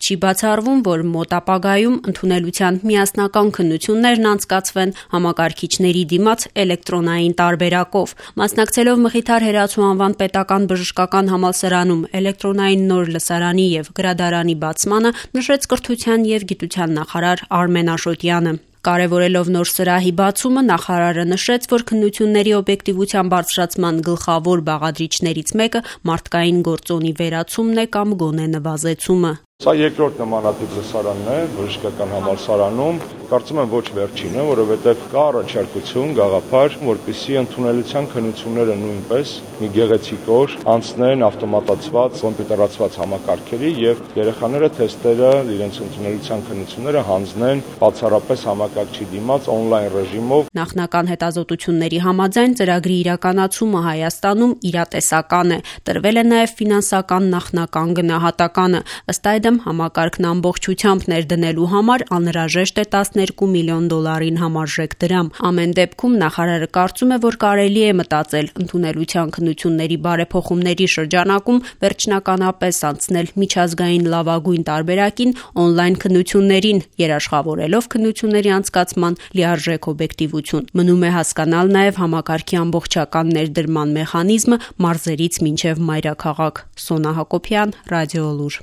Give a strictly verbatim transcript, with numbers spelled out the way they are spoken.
Չի բացառվում, որ մոտ ապագայում ընդունելության միասնական քննություններն անցկացվեն համակարգիչների դիմաց էլեկտրոնային տարբերակով։ Մասնակցելով Մխիթար Հերացու անվան պետական բժշկական համալսարանում էլեկտրոնային նոր լսարանի և գրադարանի բացմանը նշեց կրթության և գիտության նախարար Արմեն Աշոտյանը։ Կարևորելով նոր սրահի բացումը, նախարարը նշեց, որ քննությունների օբյեկտիվության բարձրացման գլխավոր բաղադրիչներից մեկը մարդկային գործոնի վերացումն է կամ գոնե նվազեցումը։ Սա երկրորդ նմանատիպ լսարանն է բժշկական համալսարանում, կարծում եմ ոչ վերջինը, որովհետև կա առաջարկություն, գաղափար, որպեսզի ընդունելության քննությունները նույնպես մի գեղեցիկ օր անցնեն ավտոմատացված, կոմպյուտերացված համակարգերի եւ երեխաները թեստերը, իրենց ընդունելության քննությունները հանձնեն բացառապես համակարգչի դիմաց on-line ռեժիմով։ Նախնական հետազոտությունների համաձայն ծրագրի իրականացումը Հայաստանում իրատեսական է, տրվել է նաև ֆինանսական նախնական գնահատականը, ըստ այդմ համակարգն ամբողջությամբ ներդնելու համար անհրաժեշտ է տասներկու միլիոն դոլարին համարժեք դրամ։ Ամեն դեպքում նախարարը կարծում է, որ կարելի է մտածել ընդունելության քննությունների բարեփոխումների շրջանակում վերջնականապես անցնել միջազգային լավագույն տարբերակին on-line քննություններին, երաշխավորելով քննությունների անցկացման լիարժեք օբյեկտիվություն։ Մնում է հասկանալ նաև համակարգի ամբողջական ներդրման մեխանիզմը մարզերից մինչև մայրաքաղաք։ Սոնա Հակոբյան, Ռադիոլուր։